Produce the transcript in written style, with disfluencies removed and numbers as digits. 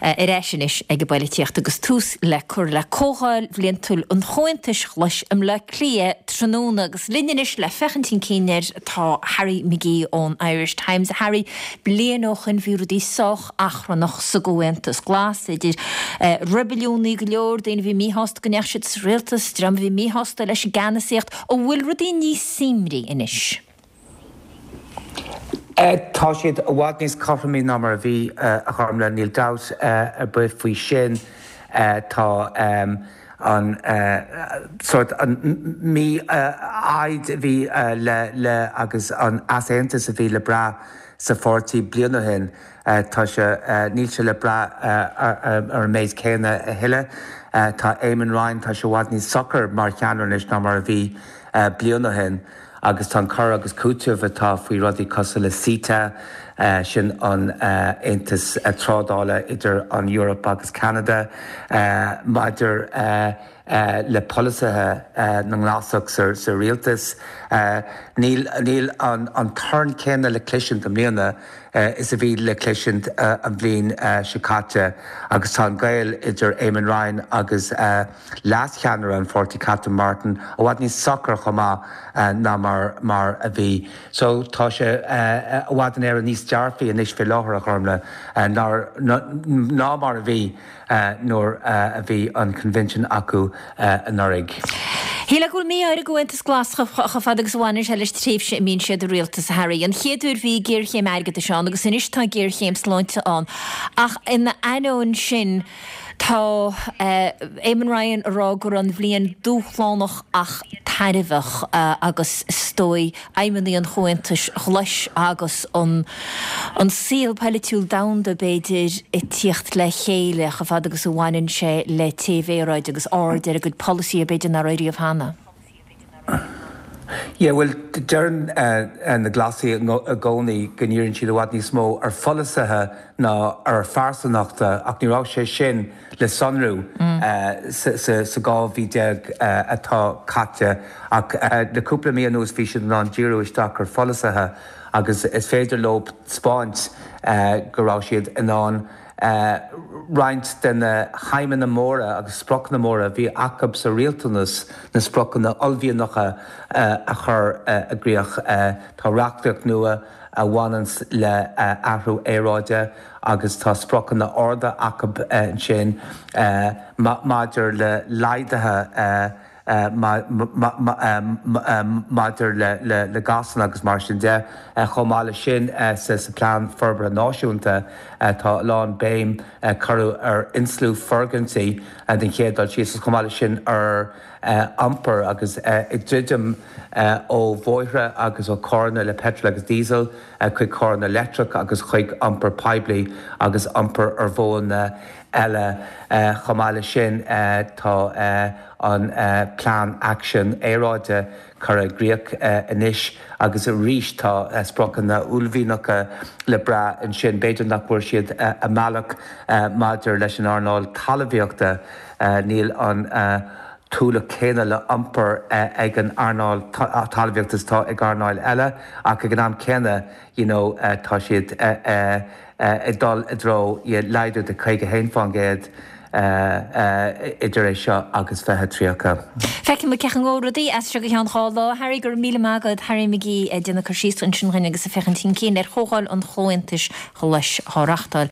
Ar ais anois ag an bpoilitíocht agus tús le cur le Comhdháil Bhliantúil an Chomhaontais Ghlais i mBleá Cliath tráthnóna agus linn anois le féachaint chun cinn air tá Harry McGee ón Irish Times. A Harry, bliain ó shoin bhí rudaí sách achrannach sa gComhaontas Glas, idir reibiliúnaigh go leor, daoine a bhí míshásta go ndeachaigh siad sa rialtas, dream a bhí míshásta leis an gceannasaíocht. An bhfuil rudaí níos suaimhní anois? Tá siad i bhfad níos cothromaí ná mar a bhí, a Ghormlaith, níl dabht ar bith faoi sin. Tá an sórt, an mhí-fhoighid a bhí le, le, agus an easaontas a bhí le brath sa pháirtí bliain ó shin, tá sé, níl sé le brath ar an méid céanna a thuilleadh. Tá Eamon Ryan, tá sé i bhfad níos socair mar cheannaire anois ná mar a bhí bliain ó shin. Agus tá an cur agus cúiteamh atá faoi rudaí cosúil le CETA, sin an aontas trádála idir an Eoraip agus Ceanada, maidir le polasaithe na nGlasach sa rialtas, níl an torann céanna le cloisint i mbliana is a bhí le cloisint an bhliain seo caite. Agus tá an gaol idir Eamon Ryan agus. leas-cheannaire an pháirtí Catherine Martin i bhfad níos socair chomh maith ná mar a bhí. So tá sé i bhfad in Éirinn níos dearfaí anois fé láthair, a Ghormlaith, ná mar a bhí nuair a bhí an convention acu anuraidh. Shílfeá go bhfuil mí-ádh ar an gComhaontas Glas chomh fada agus a bhaineann sé leis tréimhse a mbíonn siad i rialtas, a Harry. An chéad uair bhí géarchéim airgeadais ann agus anois tá géarchéim sláinte ann. Ach ina ainneoin sin, Tá Eamon Ryan ag rá go raibh an bhliain dúshlánach ach tairbheach agus is dóigh aidhmeanna an Chomhaontais Ghlais agus an saol poilitiúil domhanda, b'fhéidir, ag tíocht le chéile chomh fada agus a bhaineann sé le téamh aeráide agus aird ar a gcuid polasaithe b'fhéidir nach raibh riamh cheana. Yeah, bhuel, deireann na Glasaigh i gcónaí go ndíríonn siad i bhfad níos mó ar pholasaithe ná ar phearsanachta ach ní raibh sé sin le sonrú sa 12 mhí atá caite ach le cúpla mí anuas bhí siad in ann díriú isteach ar pholasaithe agus is féidir leo 'spáint go raibh siad in ann roinnt de na haidhmeanna móra agus spriocanna móra a bhí acu sa rialtanas, na spriocanna uaillmhianacha a chur i gcrích. Tá reachtaíocht nua a bhaineanns le athrú aeráide agus tá spriocanna arda acu ansin maidir le laghduithe maidir le gásanna agus mar sin de. Chomh maith leis sin, sa Plean Forbartha Náisiúnta tá a lán béim curtha ar insliú foirgintí den chéad dul síos agus chomh maith leis sin ar iompar agus ag druidim ó bhóithre agus ó carranna le peitreal agus diesel chuig carranna leictreach agus chuig iompar poiblí agus iompar ar mhodhanna eile. Chomh maith leis sin tá an Plean Aicsin Aeráide curtha i gcrích anois agus arís tá spriocanna uaillmhianacha le brath ansin. B'fhéidir nach bhfuair siad a mbealach maidir leis an earnáil talmhaíochta, níl an t-ualach céanna le hiompar ag an earnáil talmhaíochta is atá ag earnáil eile ach ag an am céanna you know tá siad ag dul i dtreo laghdú de 51% idir é seo agus 2030. Feicfidh muid cén chaoi a ngabhfaidh rudaí as seo go ceann 2 lá. Harry, go raibh míle maith agat. Harry McGee ag déanamh cur síos ansin dhúinn agus ag féachaint chun cinn ar Chomhdháil an Chomhaontais Ghlais á reachtáil.